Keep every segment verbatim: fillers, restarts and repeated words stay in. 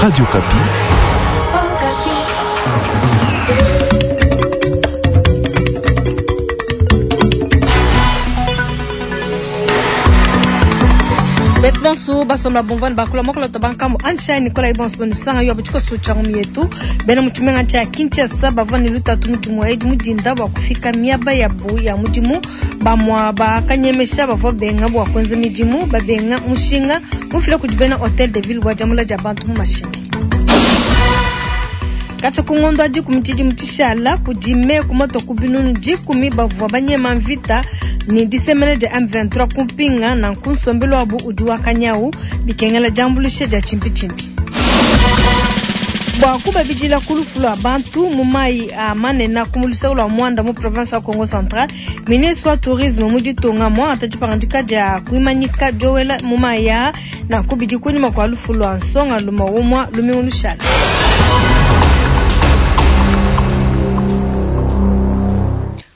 Radio Okapi. Betu bonso basomba bomvana bakula mokolo to bankambo Anshai Nicolas Ibonso bonu sanga yo butiko so changu yetu bena muchimenga cha Kinshasa bavua ne lutatu mudimu edi mudinda bua kufika miaba ya bu ya mudimu bamwa bakanyemesha bavua benga bua kwenza midimu babenga mushinga mufila kudi bena Hotel de Ville bua jamula dia bantu mu mashini. Kacha kungondo adi kumitidi mutishala kudime kumoto kubinunu dikumi bavua banyema mvita ni disemene dia M vingt-trois kumpinga na nkunsombelo wabu udi wakanyau bikengela jambulishe dia chimpi chimpi. Bwa kubabidila kulufu abantu mu mai a manena kumulisa lwa Mwanda mu province ya Congo Central, ministre wa tourisme mu ditunga mwa atachipangandika dia kuimanyika Joel mu mai ya na kubidi kunyuma kwa lufu lwa nsonga luma umwa lumiulushala.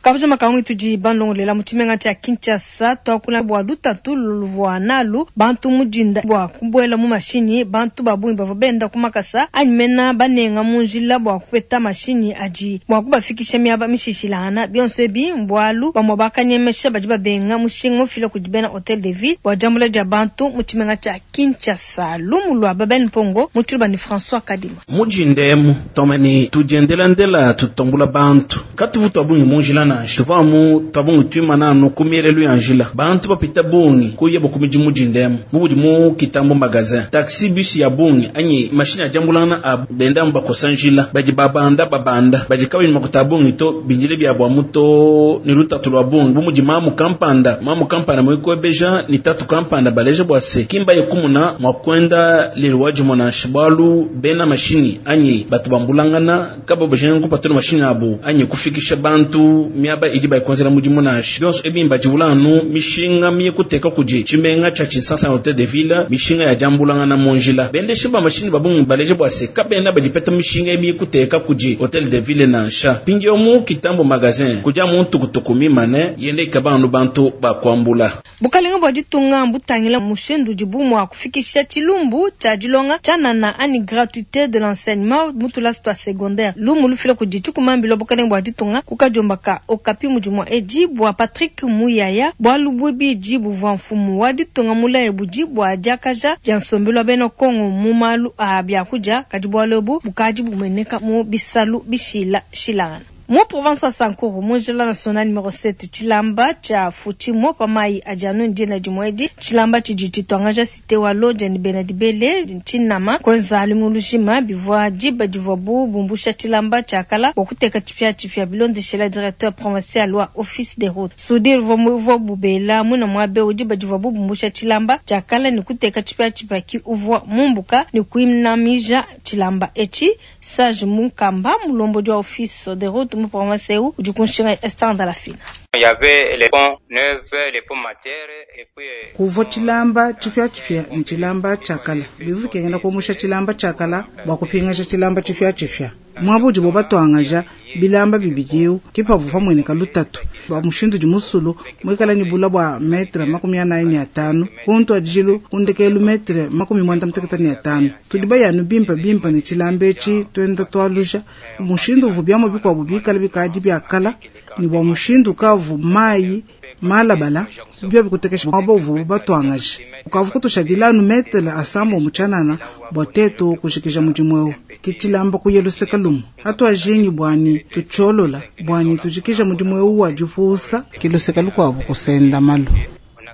Kabuja makangu tudi bandongolela mu tshimenga tshia Kinshasa twakula bua lutatu luvua nalu bantu mudinda bua kubuela mu mashinyi bantu babungi bavua benda ku makasa anyi mena banenga mu njila bua kupeta mashinyi adi bua kubafikisha miaba mishishilangana bionso ebi mbualu bamue bakanyemesha badi babenga mushinga mufila kudi bena Hotel de Ville bua diambula dia bantu mu tshimenga tshia Kinshasa. Lumu lua Babel Mpongo mu tshiluba ni François Kadima. Mudindemu tomani tudiendelandela tutambula bantu katuvu twabungi mu njila tuvamu twabungi twimana anu ku mielelu ya njila bantu bapita bungi kuya bukumiji mudindemu mubudi mu kitambo magazin taxi bus ya bungi anyi mashine ya jambulana a benda bakosa njila badi babanda babanda badi kabini makuta bungi to binjile bya bwa muto ni lutatu lwa bungi bumudi mamu kampanda mamu kampanda mwikobeja ni tatu kampanda baleje bwase kimba yekumuna mwakwenda lelwaji mona shibalu bena mashini anyi batu bambulangana kabo bajengu patro mashini abo anyi kufikisha bantu miaba idi bayikonzela mudimu nashi byonso ebimba jibulanu mishinga miye kuteka kuji chimenga cha Kinshasa Hotel de Ville mishinga ya jambulanga monjila bende shiba mashini babungu baleje bwase kabena badipeta mishinga emiye kuteka kuji Hotel de Ville nansha pingyo mu kitambo magazin kuja muntu kutukumi mane yende kabanu bantu bakwambula bukalenga bwa ditunga mbutangila mushindu dibu mwa kufikisha chilumbu cha dilonga chanana ani gratuité de l'enseignement mutula sta secondaire lumu lufila kuji chikumambilo bukalenga bwa ditunga kukajombaka Okapi mudimu edi bwa Patrick Muyaya bwa lubwibiji buvua mfumu wa ditunga mulaye buji bwa diakaja dia nsombelo bena Kongo mu malu a biakudia kadi bwa lobu bukadi bumeneka mu bisalu bishila shilana. Mu province ya Sankuru mu njila national numero sept chilamba cha Futimo pamai ajanu ndina dimwedi chilamba chijiti twangaja cité wa Lodge ni Benadibele nchinama kwenza alimulushima bivwa diba divwa bu bumbusha chilamba chakala wakuteka chipya chipya bilondeshela directeur provincial wa office des routes sudir vwa bubela muna mwabe udiba divwa bu bumbusha chilamba chakala ni kuteka chipya chipya ki uvwa mumbuka ni kuimnamija chilamba echi Sage Munkamba mulombo wa office des routes mu province eu udi kunshinga estanda la fina. Il y avait les ponts neufs, les ponts matières et puis kuvwa chilamba chipya chipya ni chilamba chakala bivu kengela kumusha chilamba chakala bwa kupingasha chilamba chipya chipya mwabuji bo batwangaja bilamba bibidiu kipavu pamwene kalutatu bwa mushindu di musulu mwikala ni bula bwa metre makumi anayi ni atanu kuntu ajilu kundekelu metre makumi mwanda mteketa ni atanu tudiba yanu bimpa bimpa ni chilamba echi twenda twaluja mushindu uvu byamo bikwabu bikala bikadi byakala ni bwa mushindu kavu mai malabala byo bikutekesha mwabo uvu batwangaje ukavu kutushadilanu metre asambo muchanana bwa tetu kushikisha mujimweu kichilamba kuyeluseka lumu hatu ajingi bwani tucholola bwani tujikisha mujimweu wa jufusa kiluseka lukwabu kusenda malu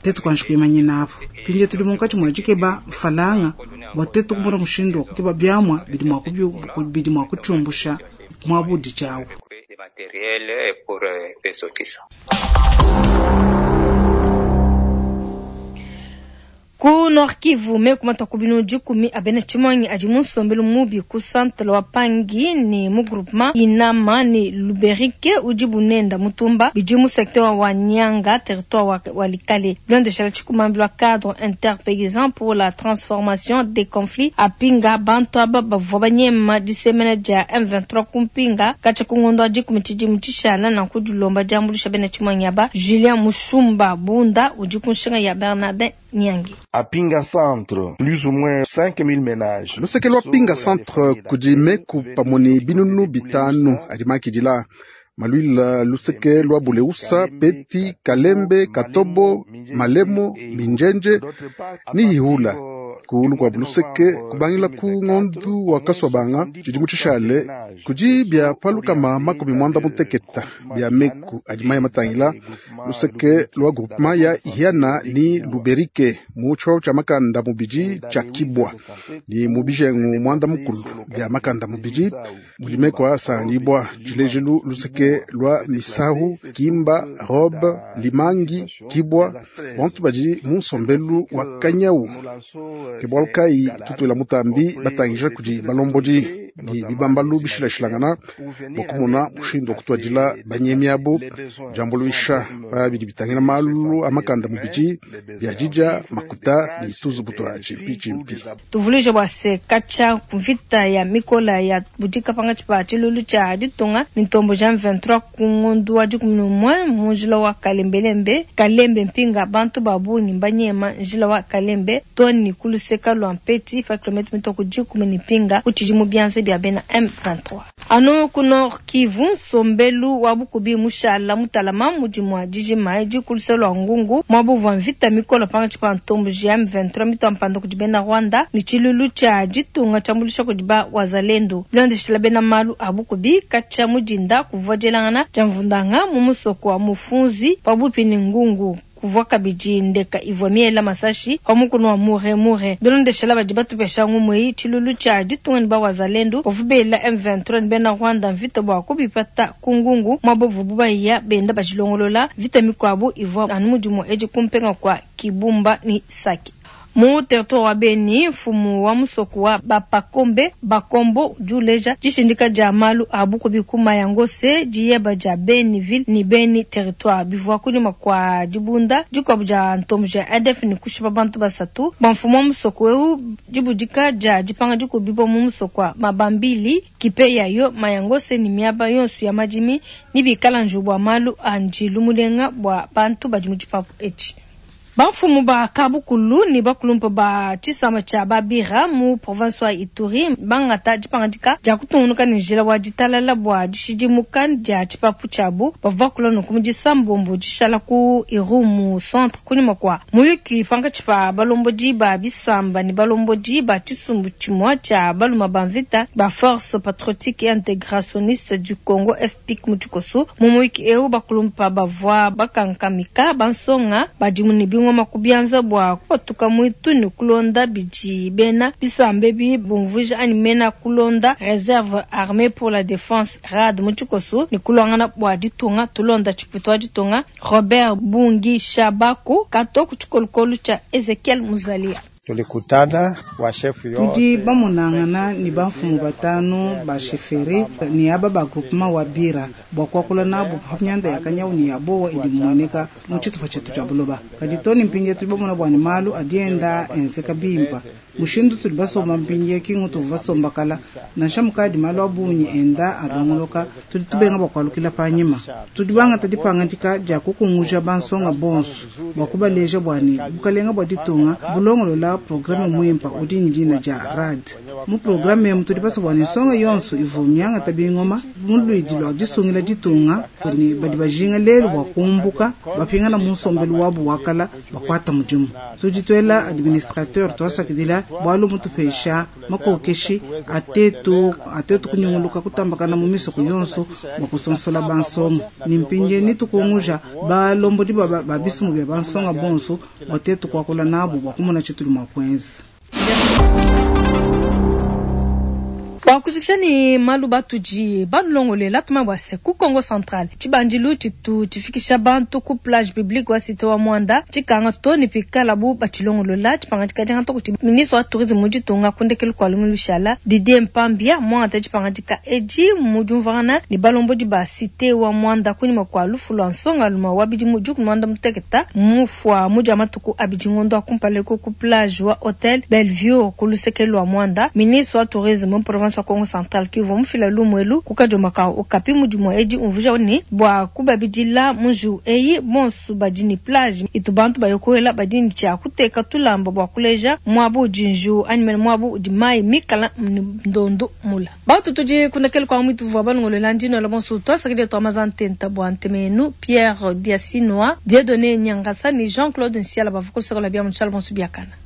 tetu kwanshi kuimanyina apo pinje tuli munkati mwajikeba falanga bwa tetu kumona mushindu wakukeba byamwa bidi mwa bidi mwa kuchumbusha mwabudi chawo matériel pour ressortissants. Ku Nord Kivu me kumata kubinu dikumi abena chimangi adi munsombelo mubi ku centre wa Pangi ni mu groupement Inama ni Luberike udi bunenda mutumba bidi mu secteur wa Nyanga territoire wa Walikale blondeshala chikumambi wa cadre interpaysan pour la transformation des conflits apinga bantu aba bavua banyema disemena dia M vingt-trois kumpinga kacha kungondo adi kumitidi mutishala na kudilomba diambulisha bena chimangi aba Julien Mushumba Bunda udi kunshinga ya Bernardin Nyangi. À Pinga Centre, plus ou moins cinq mille ménages. Luseke lwa Pinga Centre kudi meku pamwe ne binunu bitanu adi makidila. Maluila luseke lwa Buleusa, Peti, Kalembe, Katobo, Malemo, Minjenje ni Ihula. Kuulu kwa luseke kubangila ku ngondu wa Kaswabanga tshidi tshishale kudi bia palukama makumi mwanda muteketa bia meku adi maya matangila luseke lwa groupement ya Ihiana ni Luberike mu tshio tshia makanda mubidi tshia Kibwa ni mubijengu mwanda mukulu bia makanda mubidi mulimeko asangibwa tshilejelu luseke lwa Misahu, Kimba, Robe, Limangi, Kibwa bantu badi mu nsombelu wa Kanyau ke bualu kayi tutwela mutambi batangija kudi balombodi ni bibambalu bishilashilangana bua kumona mushindu wa kutuadila banyemi abo diambuluisha pa bidi bitangila malu a makanda mubidi bia dija makuta ni tuzubu tua tshimpi tuvuluije bua se katshia mvita ya mikola ya budika pangatshi pa tshilulu tshia ditunga ni ntombo ja M vingt-trois ku ngondu wa dikumi ne umue mu njila wa Kalembelembe Kalembe mpinga bantu ba bungi mbanyema njila wa Kalembe toni kuluseka lwa Mpeti pa kilomètre mitoko dikumi ne mpinga kutshidi mu bianza bia bena M vingt-trois. Anu ku Nord Kivu nsombelu wa bukubi mushala mutalama mudimu wa dijima edi kuluseka lwa Ngungu mwabuvua mvita mikola pangatshi pa ntombo ja M vingt-trois mitwa mpanda kudi bena Rwanda ni tshilulu tshia ditunga tshiambulisha kudi ba wazalendo. Bilondeshela bena malu a bukubi katshia mudinda kuvua dielangana dia mvundanga mu musoko wa Mufunzi pabupi ni Ngungu. Kuvua kabidi ndeka ivua miela masashi pa mukunu wa mure mure. Bilondeshela badi batupesha ngumwe tshilulu tshia ditunga ni ba wazalendo bavubela M vingt-trois ni bena Rwanda mvita bua kubipata ku Ngungu mwabovu bubaiya benda bajilongolola vita mikwabu ivua anu mudimu edi kumpenga kwa Kibumba ni Sake. Mu territoire wa Beni, mfumu wa musoko wa Bapakombe Bakombo juleja dishindika dia malu a bukubi kuma ya ngose diyeba dia Beni ville ni Beni territoire bivua kunyuma kwa dibunda dikuabu dia ntombo dia A D F ni kushipa bantu basatu ba mfumu wa musoko eu dibudika dia dipanga dikubibo mu musoko wa Mabambili kipe yayo mayangose ni miaba yonso ya madimi ni bikala njubu malu a njilu mulenga bua bantu badi mu dipapu etshi. Bamfumu ba kabukulu ni bakulumpa ba tshisamba tshia Babira mu province wa Ituri bangata dipangadika dia kutungunuka ne njila wa ditalala bua dishidimuka dia tshipapu tshiabu bavua bakula nunku mu disambombo dishala ku Irumu centre kunyuma kua muyuki pankatshi pa balombodi ba bisamba ni balombodi ba tshisumbu tshimue tshia baluma ba mvita ba force patriotique et intégrationniste du Congo F P I C mu tshikoso. Mu muyuki eu bakulumpa bavua bakankamika bansonga badimu ne bingoma kubianza bua kupatuka mwitu ni kulonda bidi bena bisambe bi bumvuija ani mena kulonda réserve armée pour la défense R A D mu tshikoso ni kulongana bua ditunga tulonda tshiputu wa ditunga Robert Bungi Shabako kato ku tshikolokolo tshia Ezekiel Muzalia. Tulikutana wa chef yote tudi bamunangana ni bamfumu batanu ba chefferie ni aba ba groupement wa Bira bua kuakula nabo pa nyanda ya kanyau ni ya bowa idi muoneka mu tshitupa tshetu tshia buloba. Kadi toni mpinje tudi bamona bua ni malu adienda enzeka bimpa mushindu tudi basomba mpinje kingu tuvu basomba kala nansha mukadi malu abunyi enda alongoloka tudi tubenga bua kualukila panyima. Tudi bangata dipangadika dia kukunguja bansonga bonso bua kubaleja bua ni bukalenga bua ditunga bulongolola programme mwimpa udi ndina dia R A D. Mu programme emu tudi basomba ni nsonga yonso ivu myanga tabingoma mu luidi lwa disungila ditunga ni badi bajinga lelu bua kumbuka bapingana mu nsombelu wabu wakala bakwata mudimu. Tudi tuela administrateur twasakidila bwalu mutupesha makokeshi atetu atetu kunyunguluka kutambakana mu misoko yonso bua kusonsola bansonga. Ni mpinje ni tukunguja balombodi ba, ba, ba bisumu bya bansonga bonso batetu kwakula nabo bua kumona tshitu mwa kwenza. Bua kujikisha ni malu batuji balongolela tuma bua se ku Congo Central tshibandilu tshitu tshifikisha bantu ku plage publique wa cité wa Mwanda tshikanga to ni pikala bu batshilongolola tshipangadika dianga to kuti ministre wa tourisme mu ditunga kundekelu kua lumu lushala Didier Mpambia mwanga tshipangadika edi mu diumvuangana ni balombodi ba cité wa Mwanda kunyima kua lufu lua nsonga luma wa bidimu dikumi mwanda muteketa mufua mu dia matuku abidi ngondo akumpale ku plage wa hotel Bellevue ku luseke lua Mwanda. Ministre wa tourisme mu province wa Congo Kongo Central ki uvua mufila lumu elu ku kadiomba ka Okapi mu dimua edi umvuija ne bua kubabidila mu njiwu eyi bonso badi ne plage itu bantu baya kowela badi ne tshia kuteka tulamba bua kuleja muaba udi njiwu anyi mene muaba udi mayi mikala ne ndondo mula. Bantu tudi kunekele kwa mwitu vua balongolola ndino la bonso tuasakidila tua maza ntenta bua ntemenu Pierre Diasinoa Dieudonné Nyangasa ne Jean-Claude Nsiala bavua kulusaka lua bia mu tshiala bonso biakana.